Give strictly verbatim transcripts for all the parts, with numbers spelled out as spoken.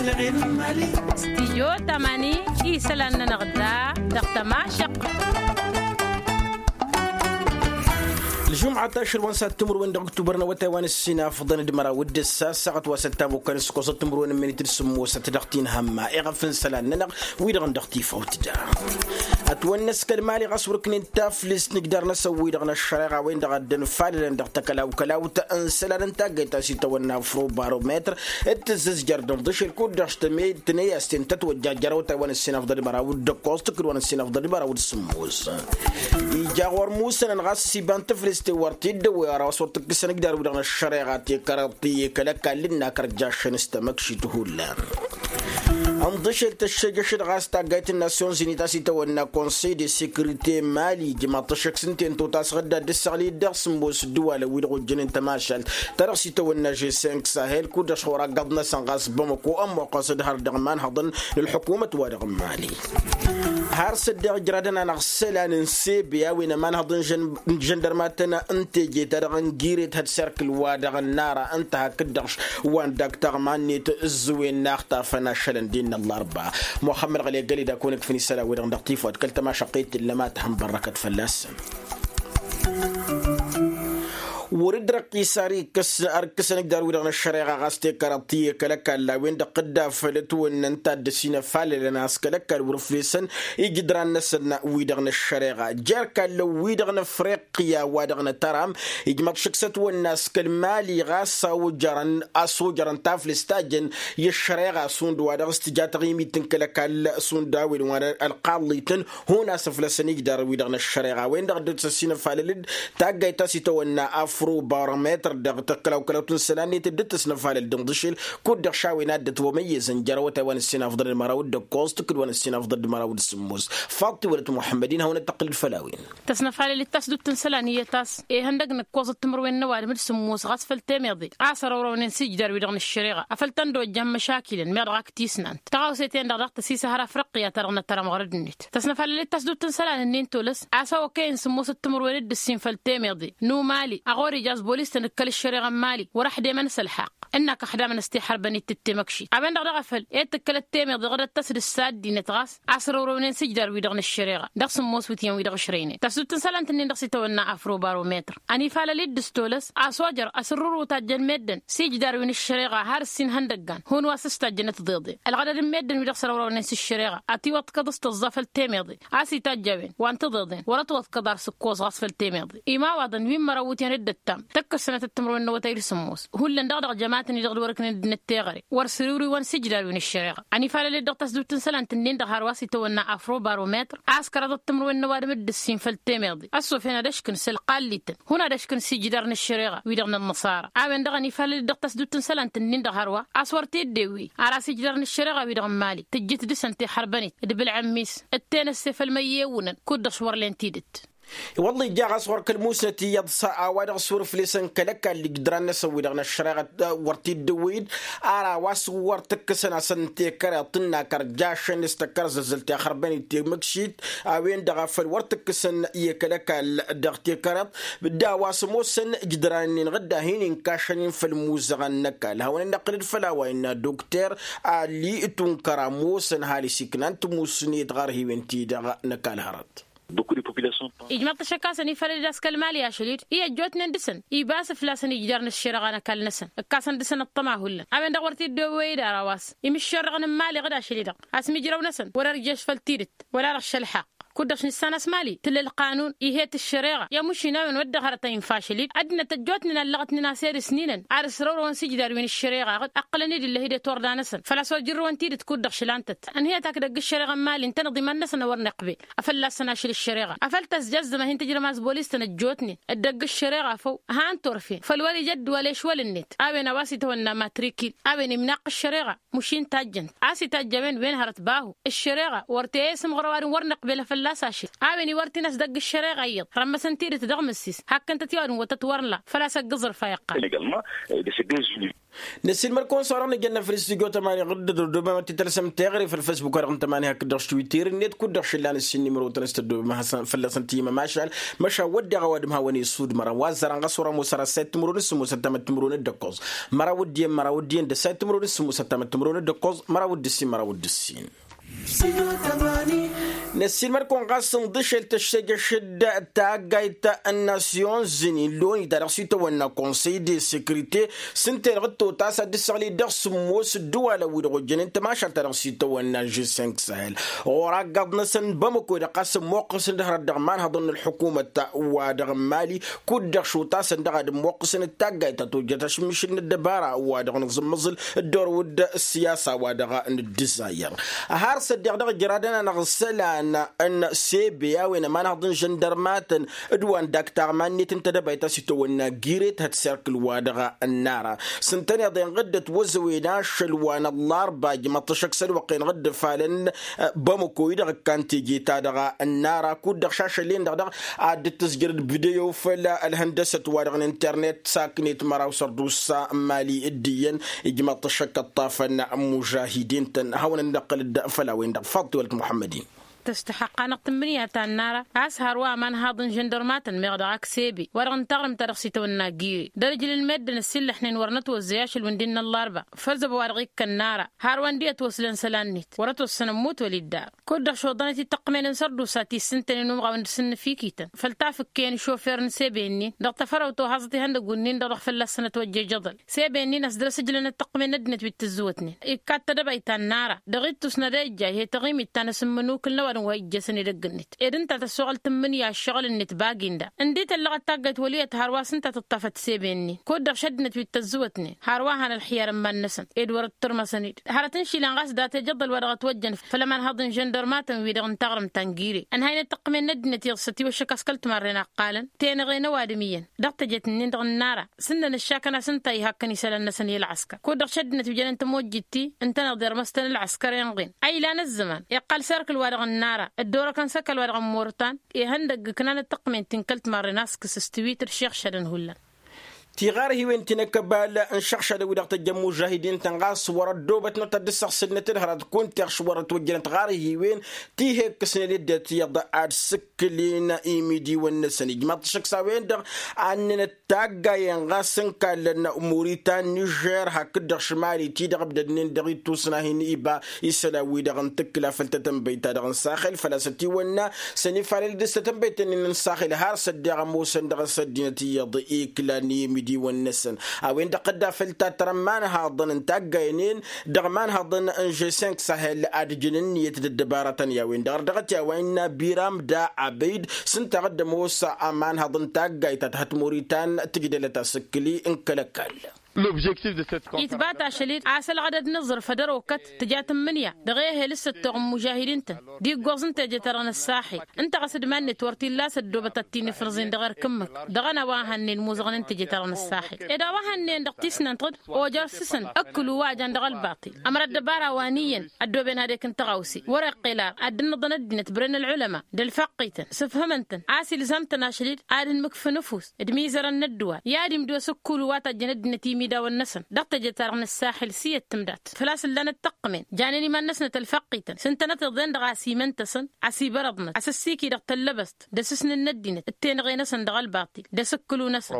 Stijyo tamani isălan-nănăɣ da dăɣ-tămašăq. Lǝžumăt ašăl wa n-săttǝmrǝwen dăɣ-ăktubăr n-awătay wa n-ǝssin afḍăn d-măraw d-ǝssa ăssaɣăt wa s-ăttamukkan s-ǝkkoẓăt timrǝwen n-minit d-sǝmmosăt dăɣ-tinhămma iɣăf n-isălan-nănăɣ wi-dăɣ n-dăɣ-tifawt da. Ătwănna s-kăl-mali ɣas wăr-ǝknen taflǝst n-igdar-năsăn wi-dăɣ n-ăššăreɣa-wen-dăɣ a dd-ănfalălăn dăɣ-takălawkălawt n-isălan n-taggayt ta s-itawănna afrobărometr d-tǝzzǝzjăr d-inḍǝšel kud-dăɣ s-tămey tǝney a-s ten tătwăjja jer-awătay wa n-ǝssin afḍăn d-măraw d-ǝkkoẓ tǝkkǝd wa n-ǝssin afḍăn d-măraw d-sǝmmos. Ija ɣur-musănăn ɣas s-iba n-taflǝst i-wăr t-dd-ăwwey ara-wa s-wăr t-ǝkkǝsăn igdar-wi-dăɣ n-ăššăreɣa tekărăḍt i-kăl-ăkall n-akăr jašăn s-tamăkšit hullan. Ănḍǝšel tăššejăšăd ɣas taggayt n-nasyon zinit a-s itawănna konsey de sekurite mali ijmaḍ-t ăššăk s-ǝnta i-ăntot a-s ɣǝdda dd-ǝssăɣlǝy-dd dăɣ-sǝmmos ǝddǝwalăn wi-dăɣ ojjănen tămašalt ta dăɣ-s itawănna žeseng sahel kud-dăɣ šor aggăḍ-năsăn ɣas bamăko ămmoqqăs d-har dăɣ-imanhăḍăn n-ălḥukumăt-wa-dăɣ n-mali. Har s-ăddeɣ ǝjradăn-anăɣ isălan n-sebe a-wen ămanhăḍ n-žăndărmatăn n-teje-ta-dăɣ n-giret hăd serkǝl-wa-dăɣ n-ara ǝnta hakd-dăɣ wa n-dak taɣma-net ǝzzǝwen n-a ăxtafăn ašălăn din n-ăllarba. Muxămmăd ɣăle găli d-ad-kăwăn-ǝkfǝn isălan-wi-dăɣ dăɣ-tifawt kăl-tămašăqqet tǝllăm ad-tǝhǝnbărrăkăt fălla-săn. Wăr-dd-răqqis ar ikkăs ar ikkăsăn igdar-wi-dăɣ n-ăššăreɣa ɣas tekărăḍ ti i-kăl-ăkall a-wen-dăɣ dd-afăl ătwănna ǝnta a dd-ăsinăfalălăn a-s kăl-ăkall wăr-ǝflesăn ijǝdran-năsăn wi-dăɣ n-ăššăreɣa jer-kallăn wi-dăɣ n-afriqya wa dăɣ-nătăram. Ijmăḍ šǝkk s-ătwănna a-s kăl-mali ɣas a ojărăn a-s ojărăn taflǝst ta jăn i-ăššăreɣa šund wa dăɣ-s tǝja taɣimit n-kăl-ăkall šund a-wen wa n-ălqaḍlităn. Hun a-s ǝflăsăn ijdar-wi-dăɣ n-ăššăreɣa a-wen-dăɣ dd-tăsinăfalăl-dd taggayt ta s-itawănna afro barometr dăɣ-tăkkălawkălawt n-isălan-net dd-tăsnăfalăl d-inḍǝšel. Kud-dăɣ šawen a dd-ătwămăyyăzăn jer-awătay wa n-ǝssin afḍăn d-măraw d-ǝkkoẓ tǝkkǝd wa n-ǝssin afḍăn d-măraw d-sǝmmos. Faḍt tiwălăt muḥămmăd-in hawăn-dd-tăqqǝl d-făll-a-wen. Tăsnăfalăl-dd tasdut n-isălan iyyăt a-s ehăndăg n-ǝkkoẓăt timǝrwen n-ăwadǝm d-sǝmmos ɣas făll-temeḍe a-s ărăwrăwnen s-ijdar-wi-dăɣ n-ăššăreɣa afăl tăn-dd-ojjăn măšakilăn meɣ dăɣ-ak tisnant taɣawse-ten-dăɣ daɣ tăsisăhăr afriqya-ta-dăɣ n-ătărăm ɣur-ăddinăt. Tăsnăfalăl-dd tasdut n-isălan-ǝnnin tolăs a-s a okăyăn sǝmmosăt timǝrwen d-ǝssin făll-temeḍe n-umali a ɣur-ija a-s bolis-tăn d-kăl-ăššăreɣa n-mali wăr-ăxdemăn s-ălxaqq. Ǝnn'-ak ăxdamăn s-tixărbănit d-temăkšit a-wen-dăɣ daɣ a făl ed tǝkkălăt temeḍe ɣǝdăt-tăs d-ǝssa ăddinăt ɣas a-s ărăwrăwnen s-ijdar-wi-dăɣ n-ăššăreɣa dăɣ-sǝmmos wǝtyan-wi-dăɣ ăšrăynen tăsdut n-isălan tǝnnin dăɣ-s itawănna afro barometr. Ănifalăl-dd s-tolăs a-s ojăr asǝrrǝru tajjăn meddǝn s-ijdar-wi n-ăššăreɣa har ǝssin ihăndăggan hun wa s-ǝstajjăn ăttiḍeḍen ălɣădăd n-meddǝn-wi-dăɣ s-ărăwrăwnen s-ăššăreɣa ătiwăḍkăḍ s-tăẓẓa făll-temeḍe. A-s itajj a-wen wa n-tiḍeḍen wăr-ătwăḍkăḍ ar s-ǝkkoẓ ɣas făll-temeḍe. Imawaḍăn wi n-mărăw wǝtyan d-ǝttam tăkkăsănăt ăttămrăwen n-awătay d-sǝmmos hullan dăɣ-dăɣ jămatăn-i-dăɣ d-wăr-ǝknen dd-inǝtteɣăre wăr sǝriwriwăn s-ijdar-wi n-ăššăreɣa. Ănifalăl-dd dăɣ-tăsdut n-isălan tǝnnin-dăɣ hărwa s-itawănna afro barometr a-s kăraḍăt timǝrwen n-ăwadǝm d-ǝssin făll-temeḍe ăssofăn ad-ăškǝn s-ălqallităn hun ad-ăškǝn s-ijdar n-ăššăreɣa wi-dăɣ n-ănnăṣara. A-wen-dăɣ ănifalăl-dd dăɣ-tăsdut n-isălan tǝnnin-dăɣ hărwa a-s wăr t-dd-ewwey ar a-s ijdar n-ăššăreɣa wi-dăɣ n-mali tǝjjǝt dăɣ-săn tixărbănit d-bǝlɣǝmmis d-tenăsse făll-măyyewǝnăn kud-dăɣ s-wăr len tidǝt. I-wălla ija ɣas ɣur-kăl-musnăt iyyăḍ s-a-wa dăɣ-s wăr-ǝflesăn kăl-ăkall ijǝdran-năsăn wi-dăɣ n-ăššăreɣa wăr t-dd-ăwwăy-dd. Ar a-wa s-wăr tǝkkǝsăn-asăn tekăreḍt n-akăr jašăn s-tăkkărzăzzăl tixărbănit temǝkšit a-wen-dăɣ a făl wăr tǝkkǝsăn i-kăl-ăkall dăɣ-tekăreḍt. D-a-wa s-ămoosăn ijǝdran-nin ɣǝdda a hin-inkašăn-in făll-imuzăɣăn n-ăkall hawăn-ănnăqqǝl-dd făll-a-wa innă dokter ali tunkăr ămoosăn ăhalǝs iknan timusnet ɣarhiwen-ti-dăɣ n-ăkall hărăt. Ijmăḍ-t ăššăk a-s ănifalăl-dd a-s kăl-mali ašăl-dd i-ăjjootnen dăɣ-săn ibas fălla-săn ijdar n-ăššăreɣa n-ăkall-năsăn ǝkkasăn dăɣ-săn ăṭṭăma hullan a-wen-dăɣ wăr t-dd-ewwey-dd ara wa s-, imǝššerrăɣăn n-mali ɣǝd ašăl-i-dăɣ asmijrăw-năsăn wăr-ărješ făll-tidǝt wăla dăɣ-šălḥaq. Kud-dăɣ s-nǝssan a-s mali tǝla ălqanun ihet ăššăreɣa i-ămušin a-wen wăr dd-hărăt a infa ašăl-dd ăddinăt ăjjootnen allăɣătnen a-s ed ǝsninăn ad-ăsrăwrăwăn s-ijdar wi n-ăššăreɣa ɣǝd ăqqǝlăn-dd ǝllăh-i d-ătorda-năsăn făl-a-s wăr jărrăwăn tidǝt kud-dăɣ šălan-tăt. Ănhăyăt akdăgg ăššăreɣa n-mali ǝntăneḍ iman-năsăn a wăr nǝqbel afălla-săn ašăl ăššăreɣa afăl tăzjăzzăm a hin-tǝjrăm a-s bolis-tăn ăjjootnen d-ăgg ăššăreɣa făw. Han turfen făll-wăr ija ăddǝwal ešwăl-net a-wen a-wa s-itawănna matrikil a-wen imnaqq ăššăreɣa mušin tajjăn a-s itajj a-wen wen hărăt bahu ăššăreɣa wăr teyăy s-imɣăr ăwadǝm wăr nǝqbel afălla. a-s ašil a-wen iwărtin a-s dăgg-ǝššăreɣa iyyăḍ rămmăsăn tidǝt dăɣ-mǝssis. Hakkăn-tăt i-ad-nǝwwătăt wăr nǝla făl-a-s ăgg-ǝẓrǝf a iqqal. Năsiilmăr-kăwăn s-orăɣ nǝjănna făll-s tijo tămani ɣǝddǝd ăddobem ad-t-tălsăm teɣăre făll-fesbuk-wa-dăɣ n-tămani hakd-dăɣ s-twitter-net kud-dăɣ šǝllan ǝssin n-imrotăn s-tăddobem hasăn fălla-săn tǝyyǝm ămašal. Măšan wădden a-wa d-imhawăn isudmărăn wa ăzzărăn ɣas wăr-ămoos ăra ăssayăt timǝrwen s-sǝmmosăt tamăt timǝrwen d-ǝkkoẓ. Măraw d-iyyăn măraw d-iyyăn d-ăssayăt timǝrwen s-sǝmmosăt tamăt timǝrwen d-ǝkkoẓ măraw d-ǝssin măraw d-ǝssin. Năssiilmăd-kăwăn ɣas ǝnḍǝšel tăššejăšăd taggayt n-nasyon zǝnin loni ta dăɣ-s itawănna konsăy de sekrite s-ǝnta-en dăɣ-t totas ad-dd-săɣli dăɣ-sǝmmos ǝddǝwalăn-wi-dăɣ ojjănen tămašalt ta dăɣ-s itawănna žessenk sahel. Ɣur-aggaḍ-năsăn bamăko-i-dăɣ ɣas ămmoqqǝsăn d-hărăt dăɣ-imanhăḍăn n-ălḥukumăt wa-dăɣ n-mali kud-dăɣ šotasăn dăɣ-ad-ămmoqqǝsăn d-taggayt ta tojjăt ašǝmmišǝl n-ăddăbara wa-dăɣ nǝẓǝmmăẓǝl dd-orăwăd ăssiyasa wa-dăɣ n-ǝddǝzayăr. Har s-ăddiɣ dăɣ-ijradăn-anăɣ isălan n-sebe a-wen ămanhăḍ n-žăndărmatăn d-wa n-dak taɣma-net n-tedăbayt a-s itawănna gire tihăt serkǝl wa dăɣ-ănnara. S-ǝntăneḍ-en ɣǝddăt wăzăwen ašăl wa n-ăllarba ijmăḍ-t ăššăk s-ălwăqq-en ɣǝddǝfalăn bămăko-i-dăɣ ǝkkan teje-ta-dăɣ ănnara kud-dăɣ šašăl-en-dăɣ dăɣ-ad-dd-tǝzjărăd video făll-ălhăndăsăt wa dăɣ-n internet saknet măraw sărdusa n-mali d-iyyăn. Ijmăḍ-t ăššăk ăṭṭafăn mužahidin-tăn hawăn-ănn-dd-ăqqăl-dd făll-a-wen-dăɣ faḍt tiwălăt muḥămmăd-in. Tăstăxăqqanăɣ tǝmmǝnǝya ta n-nara a-s hărwa ămanhaḍ n-žăndărmatăn meɣ dăɣ-ak sebe wa-dăɣ n-taɣrǝmt-ta-dăɣ s-itawănna gire dăr-ijlǝl meddǝn ăssiillăḥnen wăr nătwăzzăy ašăl wi n-dd-innă ăllarba. Făzzăb wa-dăɣ ikk ănnara hărwa n-dd-iyyăt wăslăn isălan-net wăr-ătwăssăn ămmut wăl-iddar. Kud-dăɣ šoḍănăt i-taqqǝmen n-sărdusa ti s-ǝntănen umɣaw n-dăr-s ǝnnǝfikităn făll-tafǝkke n-išofer n-sebe-nin dăɣ-tafărawt ohăẓăt ihăndăgg-wǝnnin-dăɣ dăɣ-fălla-săn ătwăjjăj iḍăl. Sebe-nin a-s dăr-s ǝjlănăt taqqǝmen n-ăddinăt wi t-tǝzzǝwătnen ikkat tadăbayt ta n-nara dăɣ-ittus n-ad-ejjay he-taɣimit ta n-asǝmmǝnukǝl n-ăwadǝm wa ijjăsăn edăgg-net ed ǝnta tăssoɣăl tǝmmǝnǝya ǝššăɣǝl-net bagi n-da. Ǝndităllăɣăt taggayt wăl' iyyăt hărwa s-ǝnta tǝṭṭafăt sebe-nin kud-dăɣ šăddinăt wi t-ăzzǝwătnen hărwa han ălxiyar n-iman-năsăn ed wăr-ăttărmăsăn-dd hărăt n-išilan ɣas dat-ejăḍăl wa dăɣ-ătwăjjăn făll-ămanhăḍ n-žăndărmatăn-wi-dăɣ n-taɣrǝmt ta n-gire. Ănhăynăt taqqǝmen n-ăddinăt iyyăḍ s-ătiwăššăk a-s kăl-timarren a ǝqqalăn tenăɣe n-ăwadǝm iyyăn dăɣ-tejet-nin-dăɣ n-nara s-ǝnnăn ǝššakăn a-s ǝnta ihakkăn isălan-năsăn i-ălɣăskăr kud-dăɣ šăddinăt wi jănen tămojjit-ti ǝntăneḍ irmăstăn ălɣăskăr inɣen a ilan ăzzăman iqqal s-erk ălwa-dăɣ n-nara dd-orăkăn s-ăkall wa-dăɣ n-mortan. Ihăndăgg ǝknanăt taqqǝmen-ti n-kăl-timarren a-s kǝs-s tiwităr šixšadăn hullan. Tiɣarhiwen ti n-akăbal n-išăɣšadăn-wi-dăɣ tăjjăn mužahidin-tăn ɣas wăr-ăddoobătnăt ad-dd-săɣsǝlnăt d-hărăt kunta iɣš wăr-ătwăjjănăt ɣarhiwen ti he-ǝkkǝsnen dd-ăttiyyăḍ ad-sǝkkǝlin imidiwăn-năsăn ijmaḍ-t ašăk s-a-wen-dăɣ. Annănăt taggayen ɣas n-kallăn muritan nižer hakd-dăɣ šimali-ti-dăɣ ǝbdădnen dăɣ-ittus n-ahin iba isălan-wi-dăɣ n-tǝkkǝla făll-tatănbăyt-ta-dăɣ n-saxel făl-a-s ătiwănna sănifalăl dăɣ-s tatănbăyt-nin n-saxel har s-ăddeɣ ămoosăn dăɣ-s ăddinăt iyyăḍ iklan i-imidiwăn-năsăn. A-wen-dăɣ tădda făll-tattăr ămanhaḍăn n-taggayen-en dăɣ-ămanhaḍăn n-žessenk sahel ad-ǝjǝn ǝnniyăt d-ăddăbarătăn i-a-wen-dăɣ ărdăɣăt i-a-wa innă biram da abăyd s-ǝnta ad-ămoos ămanhaḍ n-taggayt ta tăhăt muritan tǝjdălăt asǝkkǝli n-kăl-ăkall. Itbat ašăl-dd a-s ălɣădăd n-aẓrǝf ad-ărokăt tǝja tǝmmǝnǝya dăɣ-ehel s-ăttoɣ n-imužahidin-tăn d-iggoẓ n-teje-ta-dăɣ n-ăssaxil. Ǝnta ɣas d-iman-net wăr t-illa a-s ăddoobăt ad-t-in-ifrǝẓin dăɣ-erk ǝmmǝk dăɣ-ănn a-wa hănnen imuzăɣăn n-teje-ta-dăɣ n-ăssaxil ed a-wa hănnen dăɣ-tisnant ɣǝd ojăr s-săn ǝkkǝlu wa jan dăɣ-ălbaṭil. Ămăra ăddăbara wa n-iyyăn ăddooben ad-ekǝn tăɣawse wăr-iqqel ar ad-dd-ǝnnăḍăn ăddinăt bren ălɣulăma d-ălfăqqităn sǝfhǝmăn-tăn a-s ilzam-tăn ašăl-dd ad-ǝnmǝkfǝn ăfuss d-imizărăn n-ăddǝwal i-ad-imdǝw asǝkkulu wa tajjăn ăddinăt imidawăn-năsăn dăɣ-teje-ta-dăɣ n-ăssaxil s-iyyăt tǝmdat. Făl-a-s ǝllanăt taqqǝmen janen iman-năsnăt ălfăqqităn s-ǝntănăt iḍen dăɣ-asimăn-tăsăn a-s ǝssikǝy dăɣ-tăllăbăst d-asǝsnǝn n-ăddinăt d-tenăɣe-năsăn dăɣ-ălbaṭil d-asǝkkǝlu-năsăn.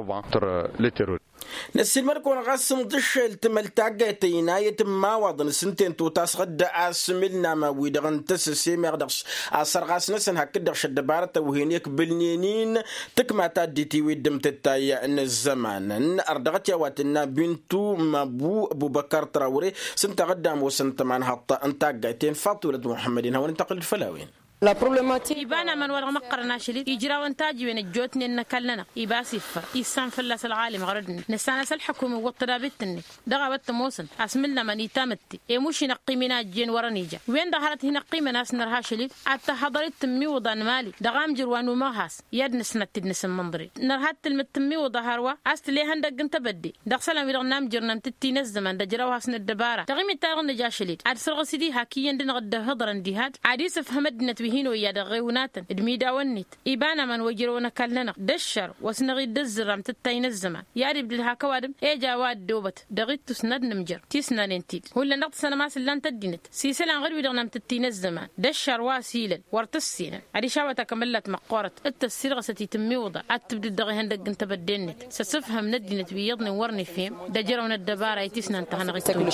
Năssiilmăd-kăwăn ɣas ǝnḍǝššel tǝmăl taggayt ăynayăt n-imawaḍăn s-ǝnta-en totasăɣ-dd asmǝlnam wi-dăɣ n-tăsăse meɣ dăɣ-s asărɣas-năsăn hakd-dăɣ šăddăbarătăn wi hin-ikbǝlnen-in. Tǝkma ta dd-itiwǝy dd-ǝmtǝttay n-ăzzăman ărdăɣăt i-a-wa tǝnna bintu mabu ăbubăkar trawre s-ǝnta a dd-ămoosăn tămanhăḍt n-taggayt-en faḍt wălăt muḥămmăd-in hawăn-dd-tăqqǝl-dd făll-a-wen. Iba n-aman wa dăɣ-măqqărăn ašăl-dd ijrawăn tajiwen ăjjootnen n-ăkall-nănăɣ iba a-s iffăr issan fălla-s ălɣalim ɣărăd-net năssan a-s ălḥăkum iwwăḍ tădabit-net. Dăɣ-a-wa t-ămoosăn asmǝlnămăn itamǝtte i-muš hin-ăqqim-in a ăjjeen wărăn ija wen-dăɣ hărăt hin-ăqqimăn a-s nărha ašăl-dd ad-tăhhăḍăr-dd tǝmmiwǝḍa n-imali dăɣ-amjǝr wa n-umăɣhas i-ad-nǝsnăt-dd-nǝsǝmmănḍăr-dd nărha d-tǝlmǝd tǝmmiwǝḍa hărwa a-s tǝla ihăndăgg n-tebădde dăɣ-isălan-wi-dăɣ n-amjǝr n-amtǝtti n-ăzzăman d-ăjrawhas n-ăddăbara taɣimit-ta-dăɣ nǝja ašăl-dd ad-sărɣǝs-dd iha k-iyyăn d-inăɣ dd-ăhhǝḍărăn diha-dd ad-isǝfhǝm ăddinăt. hin-oyya dăɣ-ɣewǝnatăn d-imidawăn-net iba n-aman wa ijrăwăn ăkall-nănăɣ d-ăššăr wa s-năɣ-dd-ăzzǝrram tǝttay n-ăzzăman. I-ad-ibdǝd hak ăwadǝm ej a-wa ăddoobăt dăɣ-ittus n-ad-nǝmjăr tisnanen-t-dd hullan dăɣ-tǝssanăm a-s ǝllan-t ăddinăt s-isălan ɣǝd-wi-dăɣ n-amtǝttǝy n-ăzzăman d-ăššăr wa s-ilăl wăr tăssinăn. Adiš a-wa takămăllat măqqoorăt d-tăssiilɣăsăt i-tǝmmiwǝḍa ad-tǝbdǝd dăɣ-ihăndăgg n-tebădde-net s-asǝfhăm n-ăddinăt wi iyyăḍnen wăr nǝfhem d-ejrăw n-ăddăbara i-tisnant ta hanăɣ-ittuwǝl.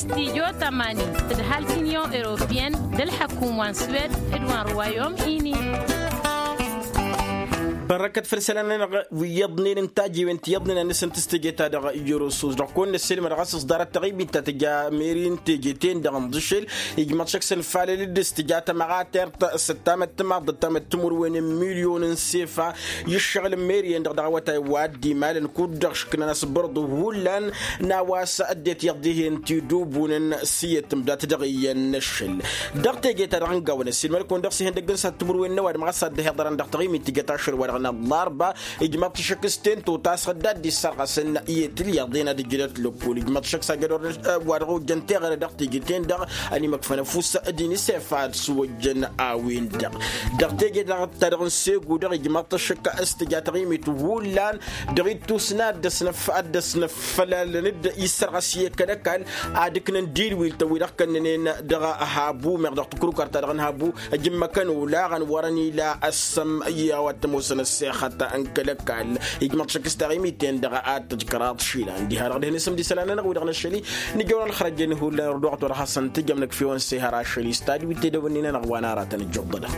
Stijo tămanin d-halk unyon europeyăn d-ălḥăkum wa n-swed d-wa n-ruwayom ini. Bărrăkăt făll-isălan-nănăɣ wi iyyăḍnen n-tajiwen ti iyyăḍnen ad-nǝsǝnt s-teje-ta-dăɣ. Iyyăr osus dăɣ-kăwăn-năssilmăd ɣas s-ḍarăt taɣimit ta tǝja meri n-teje-ten-dăɣ n-ḍǝšel ijmăḍ šăkk s-ănfalăl-dd s-tǝja tămăɣatert s-ăttamăt timaḍt d-ăttamăt timǝrwen n-milyon n-sefa i-ǝššăɣǝl n-meri-en-dăɣ dăɣ-awătay wa dd-imalăn kud-dăɣ šǝkkǝnăn asbărḍu hullan n-a-wa s-ăddinăt iyyăḍ dihen tidubunăn s-iyyăt tǝmdat dăɣ-iyyăn n-ašăl. Dăɣ-teje-ta-dăɣ n-gawăn ăssiilmăd-kăwăn dăɣ-s ihăndăgg n-săhat timǝrwen n-ăwadǝm ɣas ad-dd-hiḍărăn dăɣ-taɣimit tǝjăt ašăl-wa-dăɣ n-ăllarba ijmăḍ-t šăkk s-tento ta s-ădda dd-issărɣăsăn i-tilyaḍen ad-ǝjǝdăt lăkkol ijmăḍ-t šăkk s-ajădor wa dăɣ-ojjăn teɣăre dăɣ-teje-ten-dăɣ ănimăkfăn ăfuss d-inisef ad-sǝwăjjăn a-wen-dăɣ. Dăɣ-teje-dăɣ ta dăɣ-n segu-dăɣ ijmăḍ-t šăkk s-tǝja taɣimit hullan dăɣ-ittus n-ad-dăɣ-s năf ad-dăɣ-s năf fălalăn-dd issărɣăs i-kăl-ăkall ad-ǝknăn dilwil tăwwi-dăɣ kănnănen dăɣ-habu meɣ dăɣ-tǝkrukăr ta dăɣ-năhabu. Ăjǝmmăkăn olaɣăn wărăn ila ăssăm i-a-wa t-ămoosăn ăssexăt n-kăl-ăkall ijmăḍ šăkk s-taɣimit-en dăɣ-ad-tăjkăraḍ išilan diha-dăɣ dehăn isǝm d-isălan-nănăɣ wi-dăɣ n-ašăl-i. Nǝjăwăn ălxărăjăn hullan ărduɣăt wăr hasăn-tǝjăm năkf'-e-wăn s-ehăr ašăl-i s-tadwit tedăwănnen-nănăɣ wa n-aratăn ǝjjuḍălăn.